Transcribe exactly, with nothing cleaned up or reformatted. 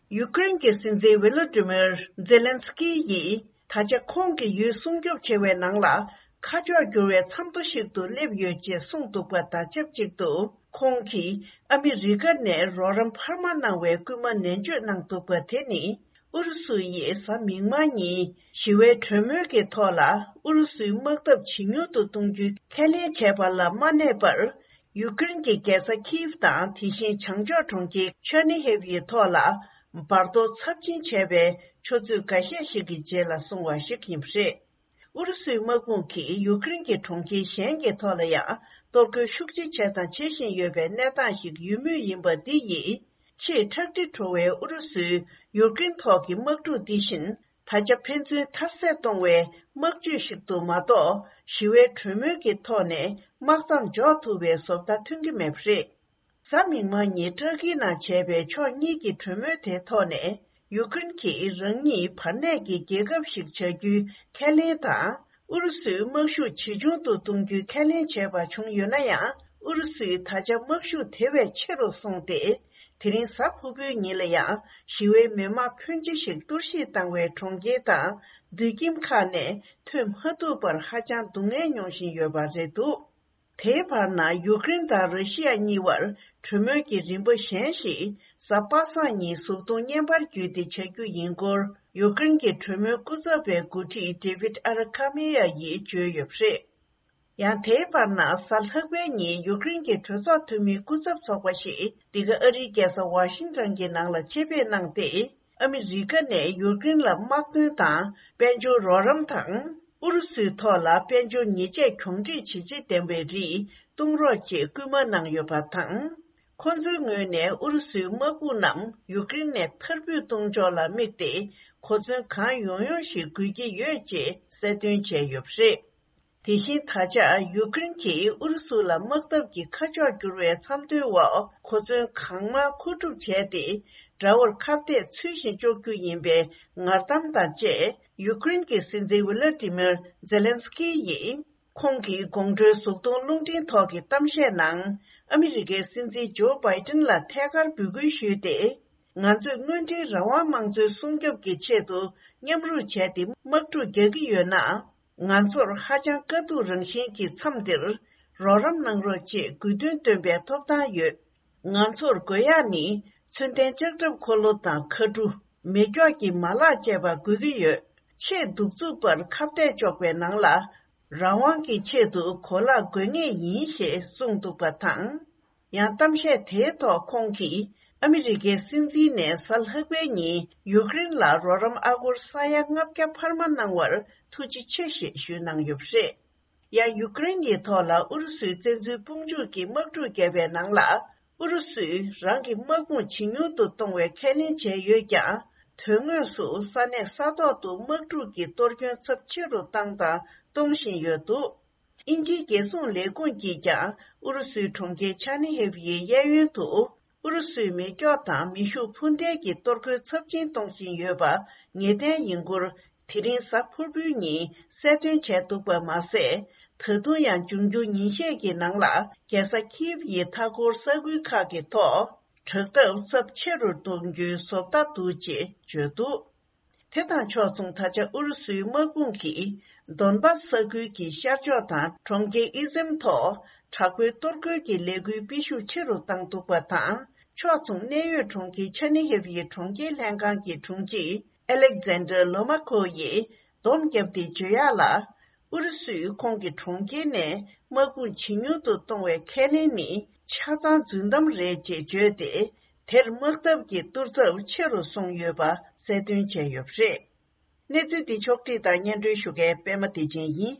ཡུ་ཀེ་རེན་གྱི་སྲིད་འཛིན་ཝི་ལོ་ཏི་མིར་ཛེ་ལན་སི་ཀི་ཡིས་ད་ཆ་ཁོང་གི་ཡུལ་སྲུང་སྐྱོབ་བྱེད་པའི་ནང་ལ་ཁ་ཕྱོགས་འགྱུར་བའི་མཚམས་ཐོ་ཞིག་ཏུ་སླེབས་ཡོད་ཅེས་གསུངས་འདུག་པ་དང་ཆབས་ཅིག་ཏུ། ཁོང་གིས་ཨ་མི་རི་ཀ་ནས་རོགས་རམ་འཕར་མ་གནང་བའི་སྐུལ་མ་ནན་བརྗོད་གནང་འདུག་པ་དེ་ནི། ཨུ་རུ་སུ་ཡིས་གཟའ་མིག་དམར་ཉིན་ཞི་བའི་གྲོས་མོལ་གྱི་ཐོག་ལ་ཨུ་རུ་སུའི་དམག་འཐབ་ཇེ་ཉུང་དུ་གཏོང་རྒྱུའི་ཁས་ལེན་བྱས་པ་ལ་མ་གནས་པར། ཡུ་ཀེ་རེན་གྱི་རྒྱལ་ས་ཁིབ་དང་དེ་བཞིན་བྱང་ཕྱོགས་གྲོང་ཁྱེར་ཆར་ནི་ཧེབ་ཡི་ཐོག་ལ་འབར་གཏོར་ཚབས་ཆེན་བྱས་པའི་ཆུ་ཚོད་འགའ་ཤས་ཤིག་གི་རྗེས་ལ་སོང་བ་ཞིག་ཡིན་པ་རེད། ཨུ་རུ་སུའི་དམག་དཔུང་གིས་ཡུ་ཀེ་རེན་གྱི་གྲོང་ཁྱེར་གཞན་གྱི་ཐོག་ལ་ཡང་གཏོར་རྒོལ་ཤུགས་ཆེ་བྱས་དང་བྱེད་བཞིན་ཡོད་པའི་གནས་སྟངས་ཤིག་ཡོད་མུས་ཡིན་པ་འདི་ཡིས། ཆེས་ཁྲག་དྲི་བྲོ་བའི་ཨུ་རུ་སུའི་ཡུ་ཀེ་རེན་ཐོག་གི་དམག་འཁྲུག་འདི་བཞིན། ད་ཆ་ཕན་ཚུན་མཐར་གསད་གཏོང་བའི་དམག་ཇུས་ཤིག་ཏུ་མ་གཏོགས། ཞི་བའི་གྲོས་མོལ་གྱི་ཐོག་ནས་དམག་མཚམས་འཇོག་ཐུབ་པའི་བཟོ་ལྟ་ཐོན་གྱི་མེད་པ་རེད། གཟའ་མིག་དམར་ཉིན་ཏུར་ཀིའི་ནང་བྱས་པའི་ཕྱོགས་གཉིས་ཀྱི་གྲོས་མོལ་དེའི་ཐོག་ནས། ཡུ་ཀེ་རེན་གྱིས་རང་ཉིད་བར་གནས་ཀྱི་རྒྱལ་ཁབ་ཞིག་བྱ་རྒྱུའི་ཁས་ལེན་དང་། ཨུ་རུ་སུའི་དམག་ཤུགས་ཇེ་ཆུང་དུ་གཏོང་རྒྱུའི་ཁས་ལེན་བྱས་པ་བྱུང་ཡོད་ན་ཡང་། ཨུ་རུ་སུའི་ད་ཆ་དམག་ཤུགས་དེ་བས་ཆེ་རུ་སོང་སྟེ། དེ་རིང་གཟའ་ཕུར་བུའི་ཉིན་ལ་ཡང་ཞི་བའི་མི་དམངས་ཕོན་ཆེ་ཞིག་གཏོར་བཤིག་བཏང་བའི་གྲོང་ཁྱེར་དང་། དུད་ཁྱིམ་ཁག་ནས་ཐོན་མ་ཐུབ་པར་ཧ་ཅང་སྡུག་བསྔལ་མྱོང་བཞིན་ཡོད་པ་རེད་འདུག་དེའི་བར་ན། ཡུ་ཀེ་རེན་དང་ར་ཤི་ཡ་གཉིས་བར་གྲོས་མོལ་གྱི་རིམ་པ་གཞན་ཞིག་གཟའ་པ་སངས་ཉིན་གཟུགས་མཐོང་བརྙན་པར་བརྒྱུད་དེ་བྱ་རྒྱུ་ཡིན་སྐོར། ཡུ་ཀེ་རེན་གྱི་གྲོས་མོལ་སྐུ་ཚབ་པའི་འགོ་ཁྲིད་ཌེ་བིད་ཨ་ར་ཁ་མི་ཡ་ཡིས་བརྗོད་ཡོད་པ་རེད། ཡང་དེའི་བར་ན། གཟའ་ལྷག་པའི་ཉིན་ཡུ་ཀེ་རེན་གྱི་གྲོས་ཚོགས་འཐུས་མིའི་སྐུ་ཚབ་ཚོགས་པ་ཞིག་འདི་ག་ཨ་རིའི་རྒྱལ་ས་ཝ་ཤིང་ཊོན་གྱི་ནང་ལ་ཆེད་ཕེབས་གནང་སྟེ། ཨ་མི་རི་ཀ་ནས་ཡུ་ཀེ་རེན་ལ་དམག་དོན་དང་དཔལ་འབྱོར་རོགས་རམ་དང་། ཨུ་རུ་སུའི་ཐོག་ལ་དཔལ་འབྱོར་ཉེས་ཆད་གྱོང་འཕྲི་ཇི་ཆེ་ལྡན་པའི་རིགས་གཏོང་རོགས་ཅེས་སྐུལ་མ་གནང་ཡོད་པ་དང་། ཁོ་ཚོའི་ངོས་ནས་ཨུ་རུ་སུའི་དམག་དཔུང་རྣམས་ཡུ་ཀེ་རེན་ནས་མཐར་འབུད་གཏོང་ཕྱོགས་ལ་དམིགས་ཏེ། གོ་མཚོན་གང་ཡོང་ཡོང་ཞིག་དགོས་ཀྱི་ཡོད་ཅེས་གསལ་སྟོན་བྱས་ཡོད་པ་རེད། དེ་བཞིན་ད་ཆ་ཡུ་ཀེ་རེན་གྱིས་ཨུ་རུ་སུ་ལ་དམག་འཐབ་ཀྱི་ཁ་ཕྱོགས་བསྒྱུར་བའི་མཚམས་ཐོའི་འོག་གོ་མཚོན་གང་མང་མཁོ་སྒྲུབ་བྱས་ཏེ། དགྲ་བོར་ཁ་གཏད་ཚུལ་བཞིན་གཅོག་རྒྱུ་ཡིན་པའི་ངར་གཏམ་དང་བཅས། ཡུ་ཀེ་རེན་གྱི་སྲིད་འཛིན་ཝི་ལ་ཏི་མིར་ཛེ་ལན་སི་ཀི་ཡིས། ཁོང་གི་དགོང་དྲོའི་གཟུགས་མཐོང་རླུང་འཕྲིན་ཐོག་གི་གཏམ་བཤད་ནང་། ཨ་མི་རི་ཀའི་སྲིད་འཛིན་ཇོ་བྷའི་ཏིན་ལ་ཐད་ཀར་འབོད་སྐུལ་ཞུས་ཏེ། ང་ཚོས་དངོས་འབྲེལ་རང་དབང་དམངས་གཙོའི་སྲུང་སྐྱོབ་ཀྱི་ཆེད་དུ་མཉམ་རུབ་བྱས་ཏེ་དམག་འཁྲུག་རྒྱག་གི་ཡོད་ན། ང་ཚོར་ཧ་ཅང་དཀའ་སྡུག་རང་བཞིན་གྱི་མཚམས་འདིར་རོགས་རམ་གནང་རོགས་ཅེས་དགོས་འདུན་བཏོན་པའི་ཐོབ་ཐང་ཡོད། ང་ཚོར་དགོས་ཡག་ནི་མཚོན་ལྡན་ལྕགས་ཁྲབ་འཁོར་ལོ་དང་མཁའ་གྲུ། མེ་སྒྱོགས་ཀྱི་མ་ལག་བཅས་པ་དགོས་ཀྱི་ཡོད། ཆེས་གདུག་རྩུབ་པར་ཁ་གཏད་གཅོག་པའི་ནང་ལ། རང་དབང་གི་ཆེད་དུ་གོ་ལག་དགོས་ངེས་ཡིན་ཞེས་གསུངས་འདུག་པ་དང་། ཡང་གཏམ་བཤད་དེའི་ཐོག་ཁོང་གིས་ཨ་མི་རི་ཀའི་སྲིད་འཛིན་ནས་གཟའ་ལྷག་པའི་ཉིན་ཡུཀ་རེན་ལ་རོགས་རམ་ཨ་སྒོར་ས་ཡ་ལྔ་བརྒྱ་འཕར་མ་གནང་བར་ཐུགས་རྗེ་ཆེ་ཞེས་ཞུས་གནང་ཡོད་པ་རེད། ཡང་ཡུཀ་རེན་གྱི་ཐོག་ལ་ཨུ་རུ་སུའི་བཙན་འཛུལ་དཔུང་འཇུག་གི་དམག་འཁྲུག་བརྒྱབ་པའི་ནང་ལ། ཨུ་རུ་སུས་རང་གི་དམག་དཔུང་ཇེ་ཉུང་དུ་གཏོང་བའི་ཁས་ལེན་བྱས་ཡོད་ཀྱང་། དོན་དངོས་སུ་ས་གནས་ས་ཐོག་ཏུ་དམག་འཁྲུག་གི་གཏོར་སྐྱོན་ཚབས་ཆེ་རུ་བཏང་དང་གཏོང་བཞིན་ཡོད་འདུག་དབྱིན་ཇིའི་རྒྱལ་སྲུང་ལས་ཁུངས་ཀྱིས་ཀྱང་ཨུ་རུ་སུའི་གྲོང་ཁྱེར་ཆར་ནི་ཧེབ་ཡི་གཡས་གཡོན་དུ་ཨུ་རུ་སུའི་མེ་སྒྱོགས་དང་མེ་ཤུགས་འཕུར་མདེལ་གྱི་གཏོར་རྒོལ་ཚབས་ཆེན་གཏོང་བཞིན་ཡོད་པ་ངེས་གཏན་ཡིན་སྐོར། དེ་རིང་གཟའ་ཕུར་བུའི་ཉིན་གསལ་སྟོན་བྱས་འདུག་པ་མ་ཟད། ད་དུང་ཡང་འབྱུང་འགྱུར་ཉིན་ཤས་ཀྱི་ནང་ལ་རྒྱལ་ས་ཁིབ་ཡི་མཐའ་འཁོར་ས་ཁུལ་ཁག་གི་ཐོག་དྲག་འཐབ་ཚབས་ཆེ་རུ་གཏོང་རྒྱུའི་བཟོ་ལྟ་འདུག་ཅེས་བརྗོད་འདུག་དེ་དང་ཕྱོགས་མཚུངས། ད་ཆ་ཨུ་རུ་སུའི་དམག་དཔུང་གིས་དོན་པ་ས་ཁུལ་གྱི་ཤར་ཕྱོགས་དང་གྲོང་ཁྱེར་ཨི་ཟེམ་ཐོག་དྲག་པོའི་གཏོར་རྒོལ་གྱི་ལས་འགུལ་སྤེལ་ཤུགས་ཆེ་རུ་བཏང་འདུག་པ་དང་། ཕྱོགས་མཚུངས་གནད་ཡོད་གྲོང་ཁྱེར་ཆར་ནི་ཧེབ་ཡི་གྲོང་ཁྱེར་ལྷན་ཁང་གི་དྲུང་ཆེ་ཨེ་ལེག་ཛན་ཌར་ལོ་མ་ཁོ་ཡིས་སྡོམ་བརྒྱབ་སྟེ་བརྗོད་ཡག་ལ། ཨུ་རུ་སུས་ཁོང་གི་གྲོང་ཁྱེར་ནས་དམག་དཔུང་ཇེ་ཉུང་དུ་གཏོང་བའི་ཁས་ལེན་ནི་ཆ་ཚང་རྫུན་གཏམ་རེད་ཅེས་བརྗོད་དེ། དེར་དམག་འཐབ་ཀྱི་གཏོར་ཚབས་ཆེ་རུ་སོང་ཡོད་པ་གསལ་སྟོན་བྱས་ཡོད་པ་རེད། གནས་ཚུལ་འདི་ཕྱོགས་བསྒྲིགས་དང་སྙན་སྒྲོན་ཞུ་མཁན་པད་མ་བདེ་ཆེན་ཡིན།